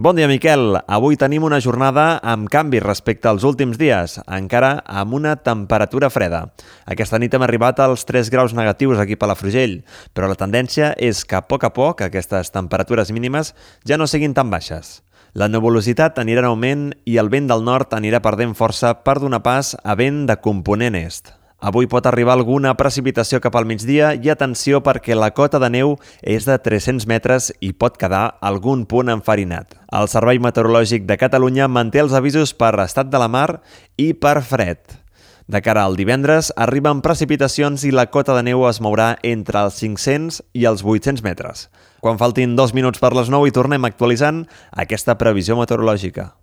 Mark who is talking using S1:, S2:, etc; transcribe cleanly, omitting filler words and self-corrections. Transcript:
S1: Bon dia, Miquel. Avui tenim una jornada amb canvis respecte als últims dies, encara amb una temperatura freda. Aquesta nit hem arribat als 3 graus negatius aquí a Palafrugell, però la tendència és que a poc aquestes temperatures mínimes ja no siguin tan baixes. La nuvolositat anirà en augment i el vent del nord anirà perdent força per donar pas a vent de component est. Avui pot arribar alguna precipitació cap al migdia i atenció perquè la cota de neu és de 300 metres i pot quedar algun punt enfarinat. El Servei Meteorològic de Catalunya manté els avisos per estat de la mar i per fred. De cara al divendres arriben precipitacions i la cota de neu es mourà entre els 500 i els 800 metres. Quan faltin 2 minuts per les 9 i tornem actualitzant aquesta previsió meteorològica.